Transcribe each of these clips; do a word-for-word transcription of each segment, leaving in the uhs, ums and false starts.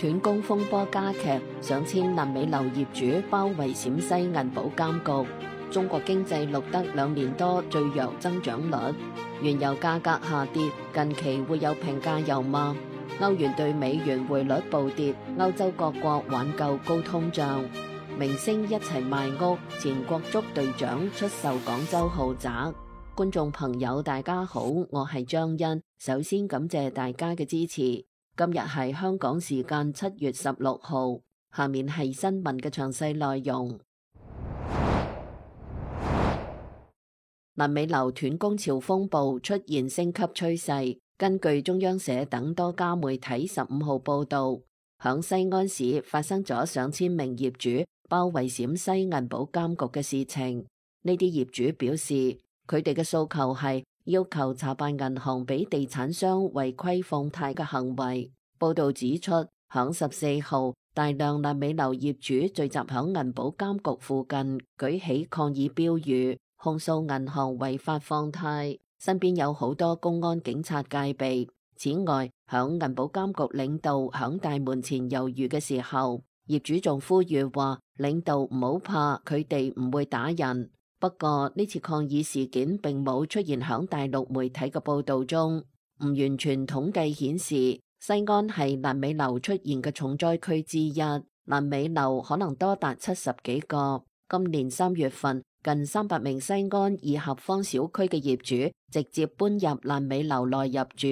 斷供風波加劇，上千爛尾樓業主包圍陝西銀保監局。中國經濟錄得兩年多最弱增長率。原油價格下跌，近期會有平價油嗎？歐元對美元匯率暴跌，歐洲各國挽救高通脹。明星一齊賣屋，前國足隊長出售廣州豪宅。觀眾朋友大家好，我係張欣，首先感謝大家嘅支持。今日係香港時間七月十六號，下面係新聞嘅詳細內容。爛尾樓斷供潮風暴出現升級趨勢。根據中央社等多家媒體十五號報道，響西安市發生咗上千名業主包圍陝西銀保監局嘅事情。呢啲業主表示，佢哋嘅訴求係要求查辦銀行俾地產商違規放貸嘅行為。報道指出，響十四號，大量爛尾樓業主聚集響銀保監局附近，舉起抗議標語，控訴銀行違法放貸，身邊有好多公安警察戒備。此外，響銀保監局領導響大門前猶豫嘅時候，業主仲呼籲話領導唔好怕，佢哋唔會打人。不過呢次抗議事件並冇出現響大陸媒體嘅報道中。唔完全統計顯示，西安係爛尾樓出現嘅重災區之一，爛尾樓可能多達七十幾個。今年三月份，近三百名西安二合坊小區嘅業主直接搬入爛尾樓內入住，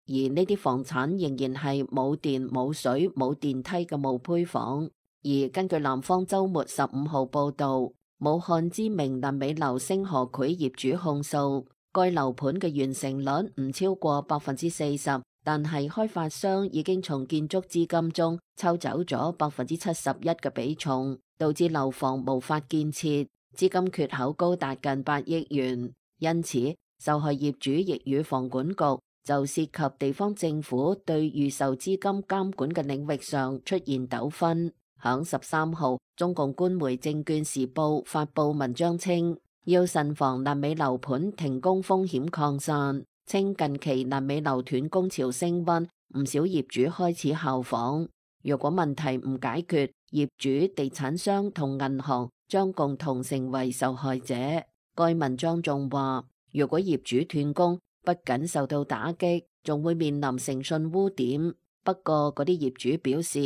而呢啲房產仍然係冇電、冇水、冇電梯嘅冒胚房。而根據南方周末十五號報道，武漢知名爛尾樓星河匯業主控訴，該樓盤嘅完成率唔超過百分之四十，但係開發商已經從建築資金中抽走咗百分之七十一嘅比重，導致樓房無法建設，資金缺口高達近八億元。因此，受害業主亦與房管局就涉及地方政府對預售資金監管嘅領域上出現糾紛。響十三號，中共官媒《證券時報》發佈文章稱，要慎防爛尾樓盤停工風險擴散，稱近期爛尾樓斷供潮升溫，唔少業主開始效仿。若果問題唔解決，業主、地產商同銀行將共同成為受害者。該文章仲話，如果業主斷供，不僅受到打擊，仲會面臨誠信污點。不過嗰啲業主表示，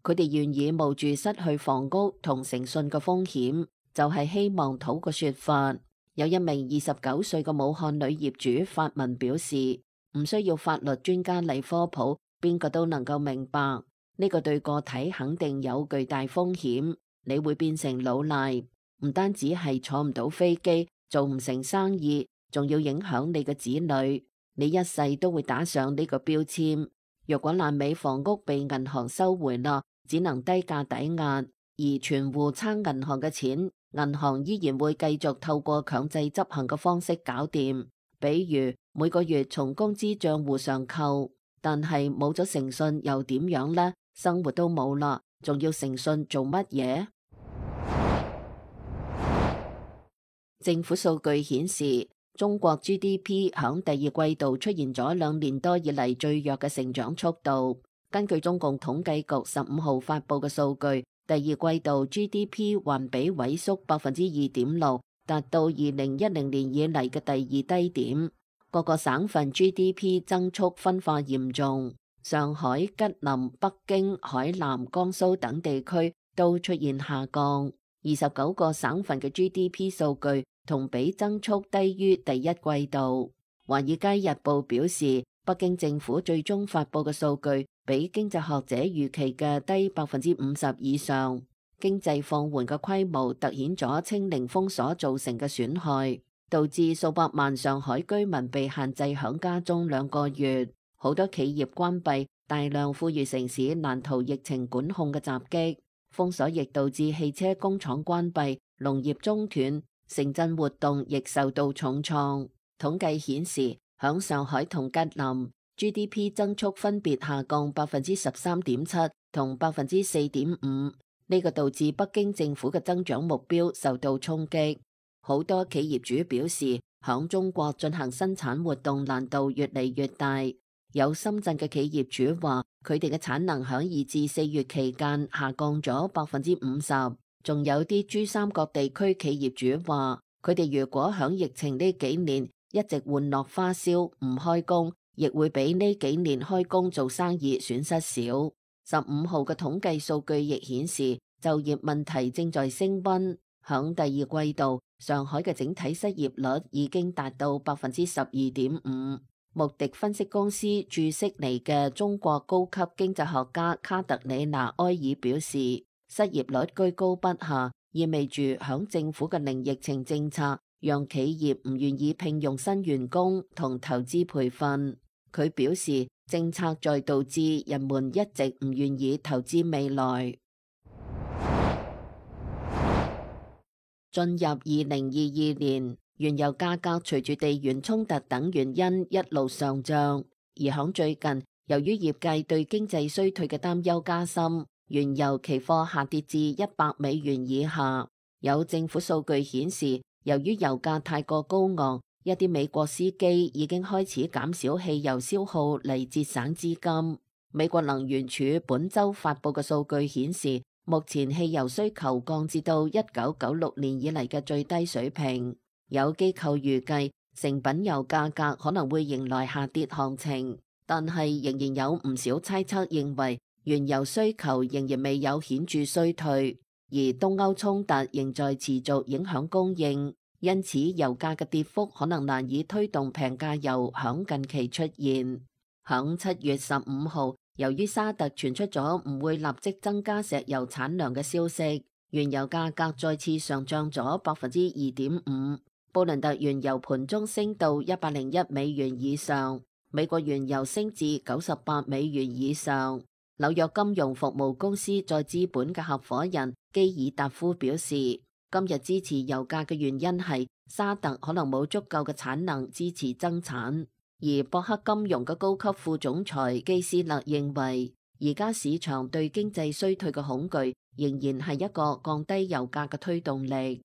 佢哋願意冒住失去房屋同誠信嘅風險，就係希望討個說法。有一名二十九歲嘅武漢女業主發文表示，唔需要法律專家嚟科普，邊個都能夠明白，呢個對個體肯定有巨大風險。你會變成老賴，唔單止係坐唔到飛機，做唔成生意，仲要影響你嘅子女，你一世都會打上呢個標籤。若果爛尾房屋被銀行收回啦，只能低價抵押，而存戶撐銀行嘅錢，銀行依然會繼續透過強制執行嘅方式搞掂，比如每個月從工資賬戶上扣。但係冇咗誠信又點樣呢？生活都冇啦，仲要誠信做乜嘢？政府數據顯示，中國 G D P 響第二季度出現咗兩年多以嚟最弱嘅成長速度。根據中共統計局十五號發佈嘅數據，第二季度 G D P 環比萎縮百分之二點六，達到二零一零年以嚟嘅第二低點。各個省份 G D P 增速分化嚴重，上海、吉林、北京、海南、江蘇等地區都出現下降。二十九個省份嘅 G D P 數據同比增速低於第一季度。華爾街日報表示，北京政府最終發佈嘅數據比經濟學者預期嘅低百分之五十以上。經濟放緩嘅規模凸顯咗清零封鎖造成嘅損害，導致數百萬上海居民被限制響家中兩個月，好多企業關閉，大量富裕城市難逃疫情管控嘅襲擊。封鎖亦導致汽車工廠關閉，農業中斷，城鎮活動亦受到重創。統計顯示，響上海同吉林 G D P 增速分別下降百分之十三點七同百分之四點五，呢個導致北京政府嘅增長目標受到衝擊。好多企業主表示，響中國進行生產活動難度越嚟越大。有深圳嘅企業主話，佢哋嘅產能響二至四月期間下降咗百分之五十。仲有啲珠三角地區企業主話，佢哋如果響疫情呢幾年一直玩落花銷唔開工，亦會比呢幾年開工做生意損失少。十五號嘅統計數據亦顯示，就業問題正在升溫。響第二季度，上海嘅整體失業率已經達到百分之十二點五。穆迪分析公司駐悉尼嘅中國高級經濟學家卡特里娜埃爾表示，失業率居高不下，意味住響政府嘅零疫情政策讓企業唔願意聘用新員工同投資培訓。佢表示，政策在導致人們一直唔願意投資未來。進入二零二二年，原油價格隨住地緣衝突等原因一路上漲，而響最近，由於業界對經濟衰退嘅擔憂加深，原油期貨下跌至一百美元以下。有政府數據顯示，由於油價太過高昂，一啲美國司機已經開始減少汽油消耗嚟節省資金。美國能源署本週發佈嘅數據顯示，目前汽油需求降至到一九九六年以嚟嘅最低水平。有機構預計成品油價格可能會迎來下跌行情，但係仍然有唔少猜測認為原油需求仍然未有顯著衰退，而東歐衝突仍在持續影響供應，因此油價嘅跌幅可能難以推動平價油響近期出現。響七月十五號，由於沙特傳出咗唔會立即增加石油產量嘅消息，原油價格再次上漲咗百分之二點五。布倫特原油盤中升到一百零一美元以上，美國原油升至九十八美元以上。紐約金融服務公司再資本嘅合夥人基爾達夫表示，今日支持油價嘅原因係沙特可能冇足夠嘅產能支持增產。而博克金融嘅高級副總裁基斯勒認為，而家市場對經濟衰退嘅恐懼仍然係一個降低油價嘅推動力。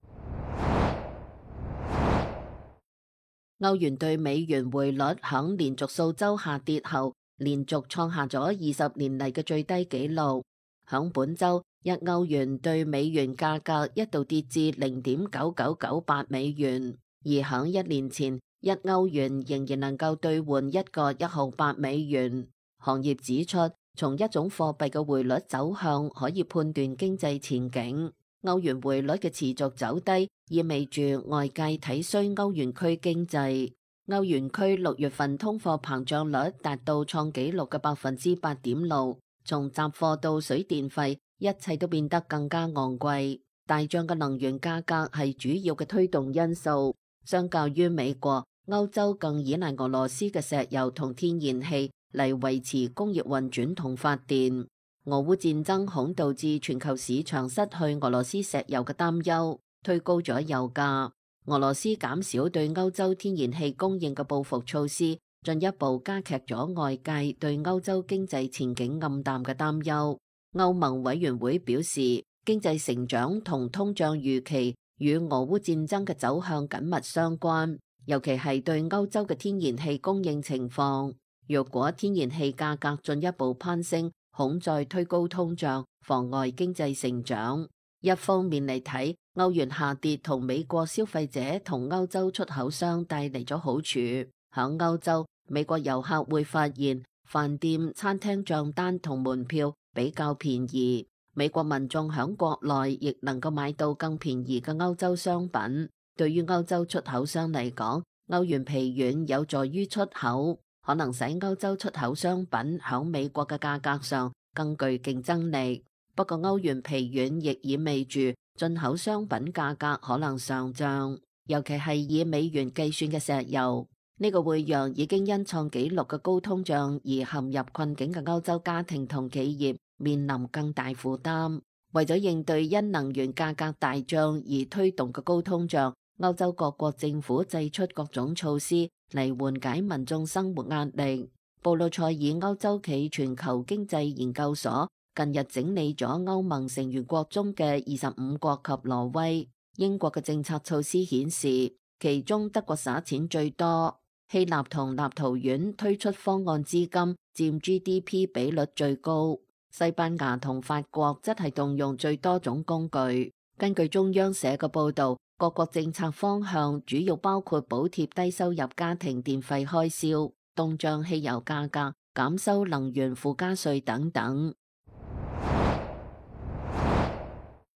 歐元對美元匯率響連續數週下跌後，連續創下咗二十年嚟嘅最低紀錄。響本週，一歐元對美元價格一度跌至零點九九九八美元，而響一年前，一歐元仍然能夠兌換一個一毫八美元。行業指出，從一種貨幣嘅匯率走向可以判斷經濟前景。歐元匯率嘅持續走低，意味住外界睇衰歐元區經濟。歐元區六月份通貨膨脹率達到創紀錄嘅百分之八點六，從雜貨到水電費，一切都變得更加昂貴。大漲嘅能源價格係主要嘅推動因素。相較於美國，歐洲更依賴俄羅斯嘅石油同天然氣嚟維持工業運轉同發電。俄烏戰爭恐導致全球市場失去俄羅斯石油嘅擔憂，推高咗油價。俄羅斯減少對歐洲天然氣供應嘅報復措施，進一步加劇咗外界對歐洲經濟前景暗淡嘅擔憂。歐盟委員會表示，經濟成長同通脹預期與俄烏戰爭嘅走向緊密相關，尤其係對歐洲嘅天然氣供應情況。若果天然氣價格進一步攀升，恐再推高通脹，妨礙經濟成長。一方面嚟睇，歐元下跌同美國消費者同歐洲出口商帶嚟咗好處。響歐洲，美國遊客會發現飯店、餐廳賬單同門票比較便宜。美國民眾響國內亦能夠買到更便宜嘅歐洲商品。對於歐洲出口商嚟講，歐元疲軟有助於出口，可能使歐洲出口商品響美國嘅價格上更具競爭力。不過歐元疲軟亦意味住進口商品價格可能上漲，尤其係以美元計算嘅石油。呢個會讓已經因創紀錄嘅高通脹而陷入困境嘅歐洲家庭同企業面臨更大負擔。為咗應對因能源價格大漲而推動嘅高通脹，歐洲各國政府祭出各種措施嚟緩解民眾生活壓力。布魯塞爾歐洲企全球經濟研究所近日整理咗歐盟成員國中嘅二十五國及挪威、英國嘅政策措施顯示，其中德國撒錢最多。希臘同立陶宛推出方案資金佔 G D P 比率最高，西班牙同法國則係動用最多種工具。根據中央社嘅報導，各國政策方向主要包括補貼低收入家庭電費開銷、凍漲汽油價格、減收能源附加稅等等。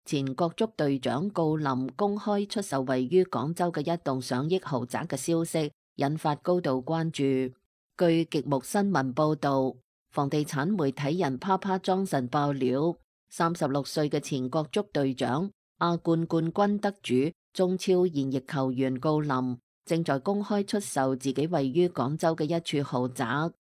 前國足隊長郜林公開出售位於廣州嘅一棟上億豪宅嘅消息，引發高度關注。據極目新聞報導，房地產媒體人啪啪莊臣爆料，三十六歲嘅前國足隊長、亞冠冠軍得主、中超現役球員郜林正在公開出售自己位於廣州嘅一處豪宅，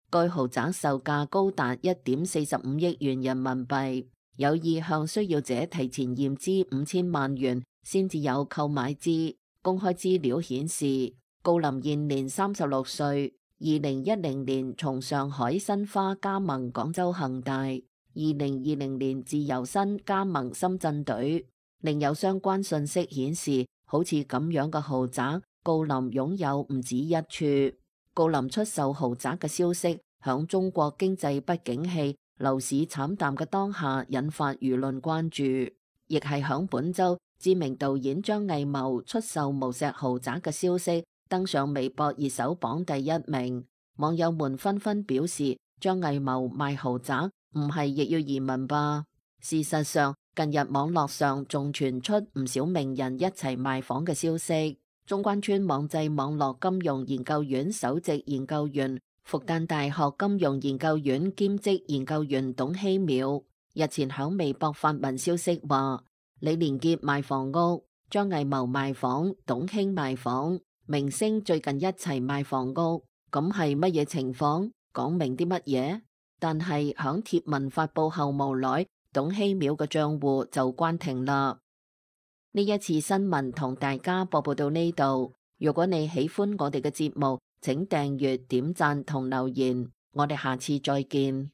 該豪宅售價高達一點四十五億元人民幣，有意向需要者提前驗資五千萬元先至有購買資。公開資料顯示，郜林現年三十六歲，二零一零年從上海申花加盟廣州恒大，二零二零年自由身加盟深圳隊。另有相關信息顯示，好似咁樣嘅豪宅，郜林擁有唔止一處。郜林出售豪宅嘅消息，響中國經濟不景氣、樓市慘淡嘅當下，引發輿論關注。亦係響本周，知名導演張藝謀出售無錫豪宅嘅消息登上微博熱搜榜第一名。網友們紛紛表示，張藝謀賣豪宅唔係亦要移民吧？事實上，近日網絡上仲傳出唔少名人一齊賣房嘅消息。中關村網際網絡金融研究院首席研究員、復旦大學金融研究院兼職研究員董希淼日前響微博發文消息話，李連杰賣房屋，張藝謀賣房，董卿賣房，明星最近一齊賣房屋，咁係乜嘢情況？講明啲乜嘢？但係響貼文發佈後無耐，董希淼嘅賬戶就關停啦。呢一次新聞同大家播報到呢度。如果你喜歡我哋嘅節目，請訂閱、點讚同留言。我哋下次再見。